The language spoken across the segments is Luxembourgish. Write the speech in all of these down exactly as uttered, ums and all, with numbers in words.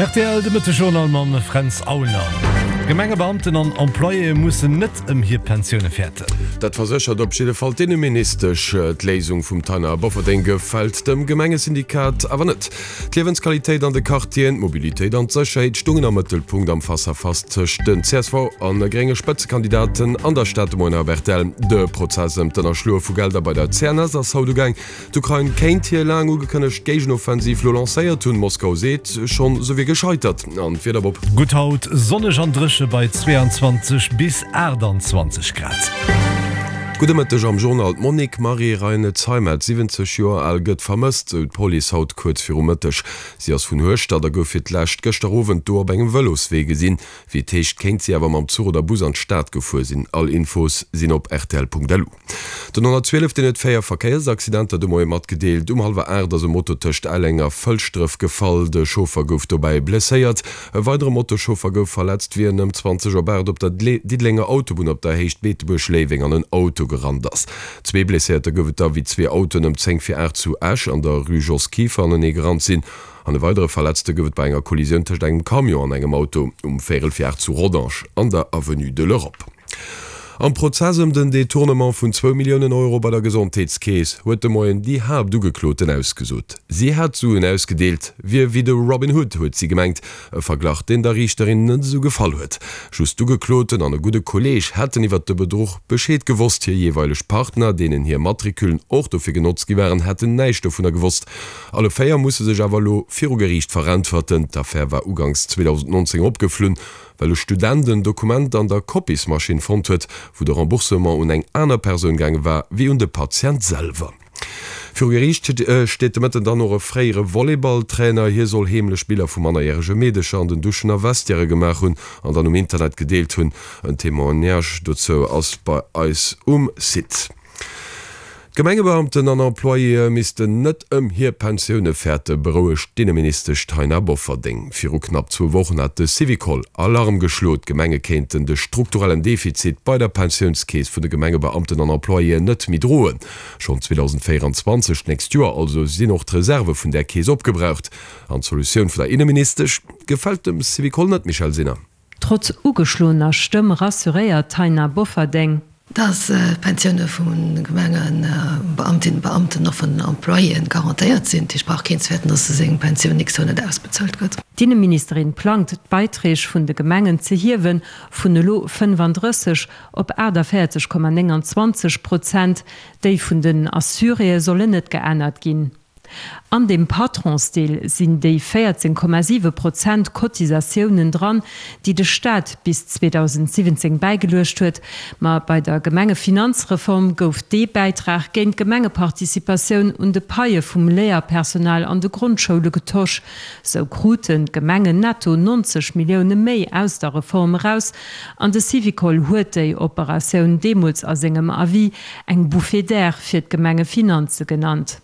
Rtl de Mëttesjournal mam Fränz Aulner. Gemengebeamten an Employéë mussen net ëm hir Pensioune fäerten. Dat verséchert op jidde Fall d'Inneministesch. D'Léisung vum Taina Bofferding gefält dem Gemengesyndikat awer net. D'Liewensqualitéit an de Quartieren, d'Mobilitéit an d'Sécherheet stungen am Mëttelpunkt am Face-à-face tëscht den csv an grénge Spëtzekandidaten an der Stad de Moien op rtl. De Prozess ëm d'Ënnerschloe vu Gelder bei der C N S ass haut ugaang. D'Ukrain kéint hir laang ugekënnegt Géigenoffensiv lo lancéiert hunn. Moskau seet schonn, se wier gescheitert. An d'Wieder, Bob? Gutt haut, sonneg an dréche bei zweeanzwanzeg bis aachtanzwanzeg Grad. Gudde Mëtteg am Journal. D'Monique Marie Reine Zeimet, siwwenzeg Joer al, gëtt vermësst, sou d'Police haut kuerz viru Mëtteg. Si ass vun Hueschtert a gouf fir d'lescht gëschter Owend do op engem Vëloswee gesinn. Wéi et heescht, kéint si awer mam Zuch oder Bus an d'Stad gefuer sinn. All Infos sinn op rtl Punkt L U. Den honnertzwielef deen huet véier Verkéiersaccidenter de Moie matgedeelt. Um hallwer aacht ass e Moto tëscht Elleng a Fëlschdref gefall. De Chauffer gouf dobäi blesséiert. E weidere Motoschauffer gouf verletzt, wéi en ëm zwanzeg op aacht op der Diddelenger Autobunn op der Héicht Beetebuerg-Léiweng an en Auto gerannt ass. Zwee Blesséierter gouf et da, wéi zwee Autoen ëm zéng vir aacht zu Esch an der Rue Jos Kieffer anenee gerannt sinn. An e weidere Verletzte gouf et bei enger Kollisioun tëscht engem Camion an engem Auto um véierel vir aacht zu Rodange an der Avenue de l'Europe. Am Prozess ëm den Detournement vun zwou Milliounen Euro bei der Gesondheetskeess huet de Moien déi Haaptugekloten ausgesot. Si hat d'Suen ausgedeelt, wier wéi de Robin Hood, huet si gemengt. E Verglach, deen der Riichterin net esou gefall huet. Just d'Ugekloten an e gudde Kolleeg hätten iwwert de Bedruch Bescheed gewosst. Hir jeeweileg Partner, deenen hir Matricullen och dofir genotzt gi waren, hätten näischt dovunner gewosst. Alle véier musse sech awer elo viru Geriicht veräntwerten. D'Affär war uganks zweedausendnonzéng opgeflunn, well e Student en Dokument an der Kopiesmaschinn fonnt huet, wou de Remboursement un eng aner Persoun gaange war wéi un de Patient selwer. Viru Geriicht steet de Mëtten dann och e fréiere Volleyballtrainer. Hie soll heemlech Biller vu mannerjärege Meedecher an den Duschen a Vestiairë gemaach hunn an dann um Internet gedeelt hunn. En Témoignage dozou ass bei eis um Site. D'Gemengebeamten an Employéë missten net ëm hir Pensioune fäerten, berouegt d'Inneministesch Taina Bofferding. Viru knapp zwou Wochen hat de Syvicol Alarm geschloen, d'Gemenge kéinten de strukturellen Defizit bei der Pensiounskeess vun de Gemengebeamten an Employéen net méi droen. Schonn zweedausendvéieranzwanzeg, d'nächst Joer also, sinn och d'Reserve vun där Keess opgebraucht. An d'Solutioun vun der Inneministesch gefält dem Syvicol net, Michèle Sinner. Trotz ugeschloener Stëmm rassuréiert d'Taina Bofferding. Dass d'Pensioune vu Gemengebeamtinnen, Beamten och vun den Employéen garantéiert sinn. Dat heescht, brauch keen ze fäerten, dass seng Pensioun nächst Joer net ausbezuelt gëtt. D'Inneministerin plangt, d'Beiträg vun de Gemengen ze hiewen, vun elo fënnefandrësseg op aachtavéierzeg Komma nénganzwanzeg Prozent. Déi vun den Assuréë sollen net geännert ginn. An deem Patronsdeel sinn déi véierzéng Komma siwe Prozent Cotisatiounen dran, déi de Staat bis zweedausendsiwwenzéng bäigeluecht huet. Ma bei der Gemengefinanzreform gouf dee Bäitrag géint d'Gemengeparticipatioun un de Paie vum Léierpersonal an de Grondschoule getosch. Sou kruten d'Gemengen netto neunzeg Millioune méi aus der Reform eraus an de Syvicol huet déi Operatioun deemools a sengem Avis eng Bouffée d'air fir d'Gemengefinanze genannt.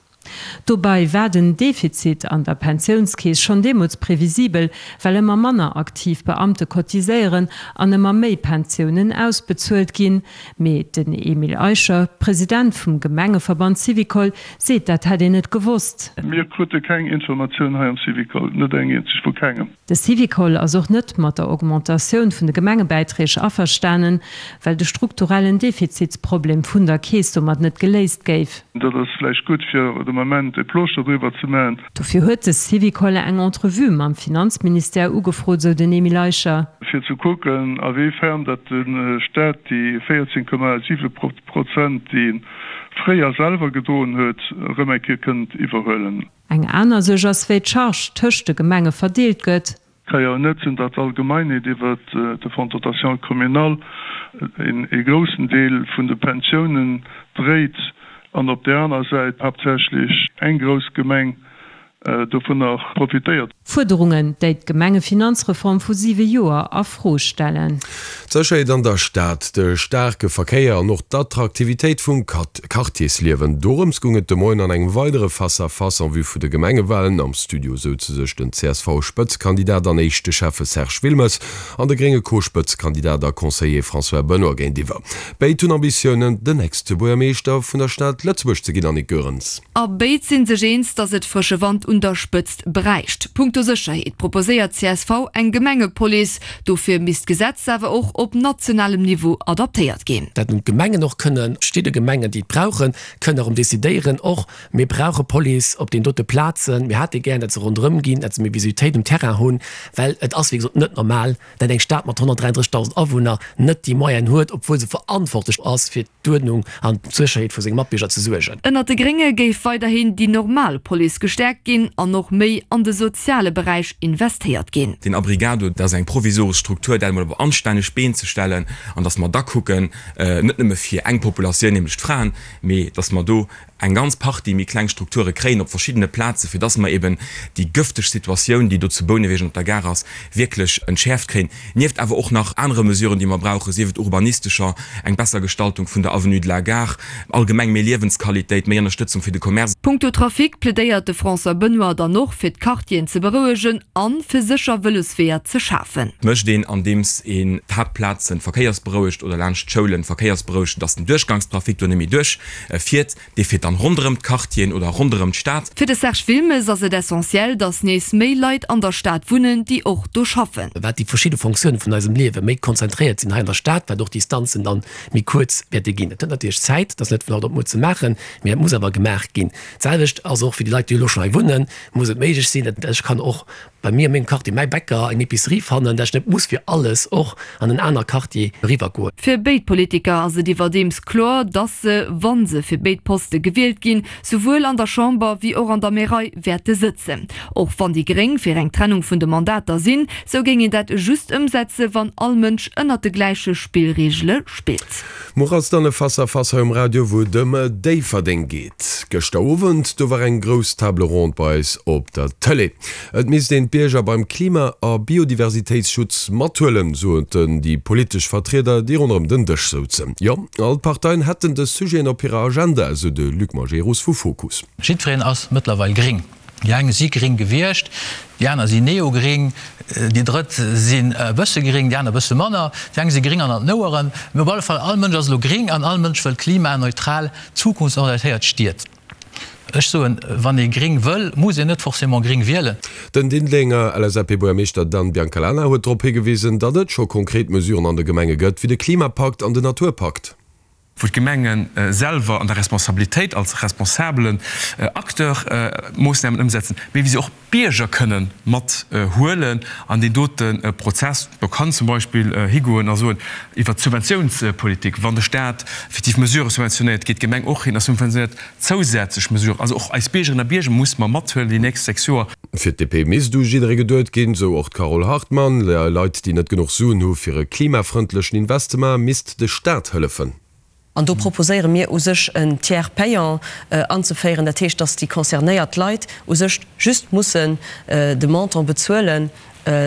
Dobei war den Defizit an der Pensiounskeess schonn deemools previsibel, well ëmmer manner aktiv Beamte cotiséieren an ëmmer méi Pensiounen ausbezuelt ginn. Mee den Emile Eicher, President vum Gemengeverband Syvicol, seet, dat hätt een net gewosst. Mir krute keng Informatioun hei am Syvicol, net eng eenzeg, vu kengem. De Syvicol ass och net mat der Augmentatioun vun de Gemengebäiträg averstanen, well de strukturellen Defizitsproblem vun der Keess domat net geléist géif. Dat ass vläicht gutt, fir de Moment e Plooschter driwwer ze maachen. Dofir huet de Syvicol eng Entrevue mam Finanzministère ugefrot, sou den Emile Eicher. Fir ze kucken, a wéi fern datt de Staat déi véierzéng Komma siwe Prozent, déi e fréier selwer gedroen huet, erëm eng Kéier kënnt iwwerhuelen. Eng aner Suerg ass, wéi d'Charge tëscht de Gemenge verdeelt gëtt. Et ka jo net sinn, datt d'Allgemeinheet iwwert de Fonds de dotation communal ee groussen Deel vun de Pensiounen dréit an op där aner Säit haaptsächlech eng grouss Gemeng dovunner profitéiert. Fuerderungen, déi d'Gemengefinanzreform vu siwe Joer a Fro stellen. D'Sécherheet an der Stad, de staarke Verkéier an och d'Attraktivitéit vum Quartiersliewen, dorëms goung et de Moien an engem weidere Face-à-face en vue vu de Gemengewalen. Am Studio souze sech den C S V-Spëtzekandidat an éischte Schäffe Serge Wilmes an de grénge Co-Spëtzekandidat a Conseiller François Benoy géintiwwer. Béid hunn Ambitiounen, den nächste Buergermeeschter vun der Stad Lëtzebuerg ze ginn, Annick Goerens. A béid si sech eens, datt et frësche Wand un der Spëtzt bräicht. Punkto Sécherheet proposéiert d'CSV eng Gemengepolice. Dofir misst d'Gesetz awer och op nationalem Niveau adaptéiert ginn. Dat nun d'Gemengen och kënnen, verschidde Gemengen, déi et brauchen, kënnen erëm decidéieren och, mir brauche Police op deenen dote Plazen, mir hätte gär, datt se ronderëm ginn, datt se méi Visibilitéit um Terrain hunn, well et ass wéi gesot net normal, datt eng Stad mat honnertdräianddrëssigtausend Awunner net déi Moyenen huet, obwuel se verantwortlech ass fir d'Uerdnung an d'Sécherheet vu senge Matbierger ze suergen. Ënnert de Grénge géif weiderhin déi normal Police gestäerkt ginn an och méi an de soziale Beräich investéiert ginn. Deen Abrigado, dat ass eng provisoresch Struktur, dat emol op anstänneg Been ze stellen an datt mer da kucken, net nëmme fir eng Populatioun, nämlech d'Fraen, mee datt mer do eng ganz Partie méi kleng Strukture kréien op verschiddene Plazen, fir dass mer eben déi gëfteg Situatioun, déi do zu Bouneweg an op der Gare ass, wierklech entschäerft kréien, nieft awer och nach anere Mesuren, déi mer brauchen, sief et urbanistescher, eng besser Gestaltung vun der Avenue de la Gare, allgemeng méi Liewensqualitéit, méi Ënnerstëtzung fir de Commerce. Punkto Trafic plädéiert de François Benoy dann och, fir d'Quartieren ze berouegen an fir sécher Vëlosweeër ze schafen. Mécht een, andeems een d'Haaptplazen verkéiersberouegt oder laanscht d'Schoulen verkéiersberouegt, dass den Duerchgangstrafic do net méi duerch fiert. Dee fiert dann ronderëm d'Quartieren oder ronderëm d'Stad. Fir de Serge Wilmes ass et essentiell, datt nees méi Leit an der Stad wunnen, déi och do schaffen. Wat déi verschidde Fonctiounen vun eisem Liewe méi konzentréiert sinn hei an der Stad, wat och d'Distanzen dann méi kuerz wäerte ginn. Dat hëlt natierlech Zäit, dat ass net vun haut op muer ze maachen, mee dat muss awer gemaach ginn. D'selwecht ass och fir déi Leit, déi elo schonn hei wunnen, muss et méiglech sinn, datt ech kann och bei mir a mengem Quartier mäi Bäcker, eng Epicerie fannen, dat ech net muss fir alles och an en aner Quartier eriwwer goen. Fir béid Politiker ass et iwwerdeems kloer, dass se, wa se fir béid Poste gewielt ginn, souwuel an der Chamber wéi och an der Märei wäerte sëtzen. Och wann déi Gréng fir eng Trennung vun de Mandater sinn, sou géing een dat just ëmsetze wann all Mënsch ënnert de gläiche Spillreegele spillt. Muer ass dann e Face à Face hei um Radio, wou et ëm Déifferdeng geet. Gëschter Owend, do war eng grouss Table ronde bei eis op der Tëlee. Et misst een d'Bierger beim Klima a Biodiversitéitsschutz mathuelen, soten déi politesch Vertrieder, déi ronderëm den Dësch souzen. Jo, all d'Parteien hätten dës Sujeten op hirer Agenda, esou de Luc Majerus vu Fokus. Jiddwereen ass mëttlerweil gréng. Déi eng si gréng gewiescht, déi aner sinn neogréng, déi drëtt sinn e bësse gréng, déi aner e bësse manner, déi eng si gréng an an den Oueren. Mee op alle Fall, all Mënsch ass elo gréng an all Mënsch wëll klimaneutral, zukunftsorientéiert Stied. Ech soen, wann ee gréng wëll, muss een net forcément gréng wielen. Den Diddelenger L S A P-Buergermeeschter Dan Biancalana huet drop higewisen, datt et scho konkret Mesuren an de Gemenge gëtt, wéi de Klimapakt an den Naturpakt. Wou d'Gemenge selwer an der Responsabilitéit als responsabelen Acteur Moossnamen ëmsetzen, mee wéi se och d'Bierger kënne mat huelen an deen dote Prozess. Do kann zum Beispill higoen a soen, iwwert d'Subventiounspolitik, wann de Stat effektiv Mesurë subventionéiert, geet d'Gemeng och hin a subventionéiert zousätzlech Mesuren. Also och eis Biergerinnen a Bierger musse mer mathuelen déi nächst sechs Joer. Fir d'D P misst u jidderee geduet ginn, sou och d'Carole Hartmann. Leit, déi net genuch Suen hu fir e klimafrëndlechen Investement, misst de Staat hëllefen. An do proposéiere mir u sech en Tiers payant anzeféieren, dat heescht, dass déi concernéiert Leit u sech just mussen de Montant bezuelen,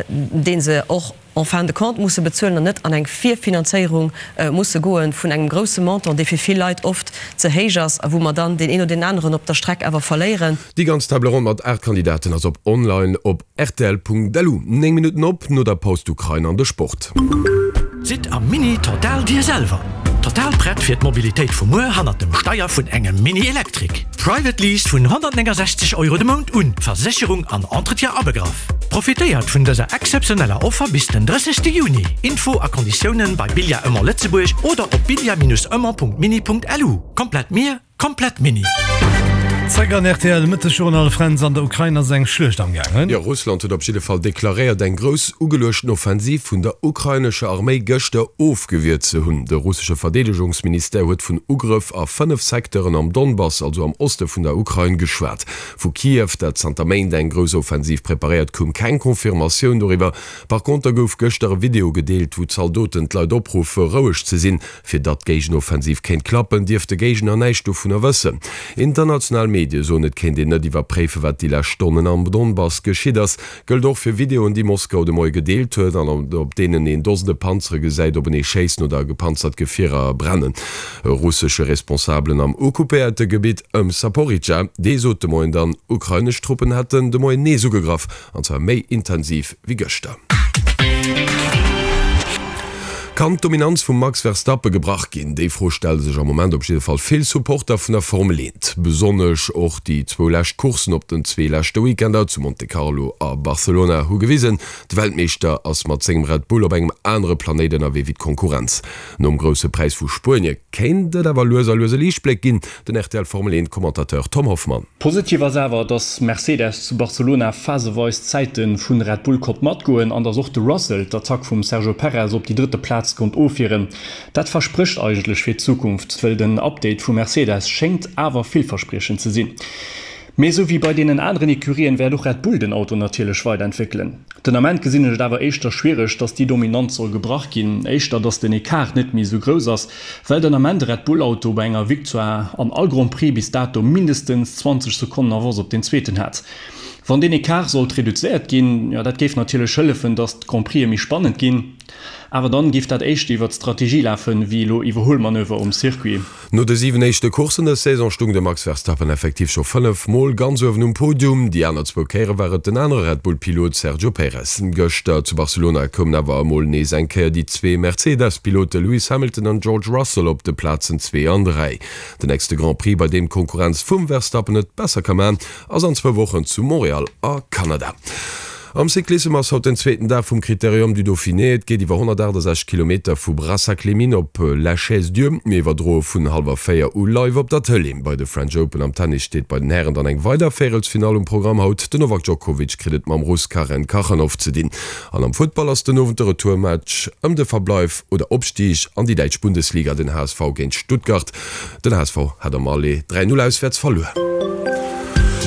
dee se och en fin de compte musse bezuelen an net an eng Virfinanzéierung musse goe vun engem grouse Montant, dee fir vill Leit oft ze héich ass a wou mer dann deen een oder deen aneren op der Streck awer verléieren. Déi ganz Table ronde mat aacht Kandidaten ass op online op rtl Punkt L U. Néng Minutten op no der Paus d'Ukrain an de Sport. Sidd am Mini total dir selwer! Total prett fir d'Mobilitéit vu muer hannert dem Steier vun engem Mini Electric. Private Lease vun honnertnéngensechzeg Euro de Mount un, Versécherung an Entretien abegraff. Profitéiert vun dëser exzeptioneller Offer bis den drëssegste Juni. Info a Konditiounen bei Bilia Ëmmer Lëtzebuerg oder op bilia-ëmmer.mini.lu. Komplett mir, komplett Mini. Zréck an R T L Mëttesjournal. Fränz, an der Ukrain ass eng Schluecht am gaangen. Jo, Russland huet op jidde Fall deklaréiert, eng grouss ugeluechten Offensiv vun der ukrainescher Arméi gëschter ofgewiert ze hunn. De russesche Verdeedegungsministère huet vun Ugrëff a fënnef Secteuren am Donbass, also am Oste vun der Ukrain, geschwat. Vu Kiew, dat zanter Méint eng grouss Offensiv preparéiert, koum keng Confirmatioun doriwwer. Par konter gouf gëschter e Video gedeelt, wou Zaldoten d'Leit opruffe roueg ze sinn. Fir datt d'Géigenoffensiv kéint klappen, dierf de Géigner näischt dovunner wëssen. International Medie soen, et kéint een net iwwerpréifen, wat déi lescht Stonnen am Donbass geschitt ass. Gëllt och fir Videoen, déi Moskau de Moie gedeelt huet an op deenen een Dosende Panzere gesäit openee schéissen oder gepanzert Gefierer brennen. E russesche Responsabelen am occupéierte Gebitt ëm Saporidscha, dee sot de Moien dann, ukrainesch Truppen hätten de Moien nees ugegraff, an zwar méi intensiv wéi gëschter. Kann d'Dominanz vum Max Verstappen gebrach ginn? Déi Fro stelle sech am Moment op jidde Fall vill Supporter vun der Formel eent. Besonnesch och déi zwou lescht Courssen op den zwee leschte Weekender zu Monte Carlo a Barcelona hu gewisen, de Weltmeeschter ass mat sengem Red Bull op engem anere Planéit ënnerwee wéi d'Konkurrenz. Nom Grousse Präis vu Spuenie kéint et awer lues a lues e Liichtbléck ginn, den rtl Formel eent Commentateur Tom Hoffmann. Positiv ass awer, dass Mercedes zu Barcelona phaseweis d'Zäite vu Red Bull konnt matgoen an dass och de Russell d'Attack vum Sergio Perez op déi drëtte Plaz konnt ofwieren. Dat versprécht eigentlech fir d'Zukunft, well den Update vu Mercedes schéngt awer villverspriechend ze sinn. Mee esou wéi bei deenen aneren Ecurien wäert och Red Bull den Auto natierlech weiderentwéckelen. Den Ament gesinn ech et awer éischter schwiereg, dass déi Dominanz soll gebrach ginn, éischter dass den Ecart net méi esou grouss ass, well den Ament de Red Bull Auto bei enger Victoire an all Grand Prix bis dato mindestens zwanzeg Sekonnen Avance op den zweeten hat. Wann deen Ecart sollt reduzéiert ginn, jo dat géif natierlech hëllefen, dass d'Grand Prixë méi spannend ginn. Awer dann géif dat éischter iwwert d'Strategie lafen, wéi elo Iwwerhuelmanöver um Circuit. No de siwen éischte Courssen dës Saison stung de Max Verstappen effektiv scho fënnef Mol ganz uewen um Podium. Déi aner zwou Kéiere war et den anere Red Bull-Pilot Sergio Perez. Gëschter zu Barcelona koumen awer emol nees eng Kéier déi zwee Mercedes-Pilote Lewis Hamilton an George Russell op de Plazen zwee an dräi. Den nächste Grand Prix, bei deem d'Konkurrenz vum Verstappen et besser ka man, ass an zwou Wochen zu Montreal a Kanada. Am Cyclissem ass haut den zweeten Dag vum Critérium du Dauphiné. Et geet iwwer honnertaachtasechzeg Kilometer vu Brassac-les-Mines op La Chaise-Dieu. Mir iwwerdroe vun hallwer véier u live op der Tëlee. Bei de French Open am Tennis steet bei den Hären dann eng weider Véierelsfinall um Programm haut. Den Novak Djokovic kritt et mam Russ Karen Khachanov ze dinn. An am Futtball ass den Owend de Retourmatch ëm de Verbleif oder Opstig an déi däitsch Bundesliga, den H S V géint Stuttgart. Den H S V hat am Aller dräi Null auswäerts verluer.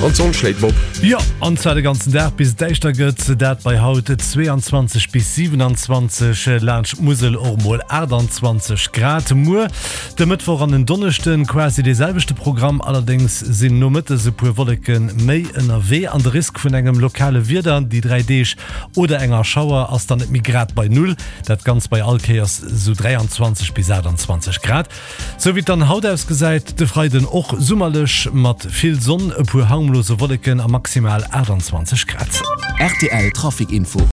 An d'Sonn schléit op. Jo, an zwar de ganzen Dag bis et däischter gëtt, dat bei haut zweeanzwanzeg bis siwenanzwanzeg, laanscht d'Musel och mol aachtanzwanzeg Grad. Muer de Mëttwoch an en Donneschden quasi dee selwechte Programm, allerdéngs sinn nomëttes e puer Wolleke méi ënnerwee an de Risk vun engem lokale Wieder déi dräi Deeg oder enger Schauer ass dann net méi grad bei Null. Dat Ganzt bei all Kéiers sou dräianzwanzeg bis aachtanzwanzeg Grad. Sou wéi et dann haut ausgesäit, de Freiden och summerlech mat vill Sonn, e puer harmlose Wolleken a maximal aachtanzwanzeg Grad. Rtl Trafic Info.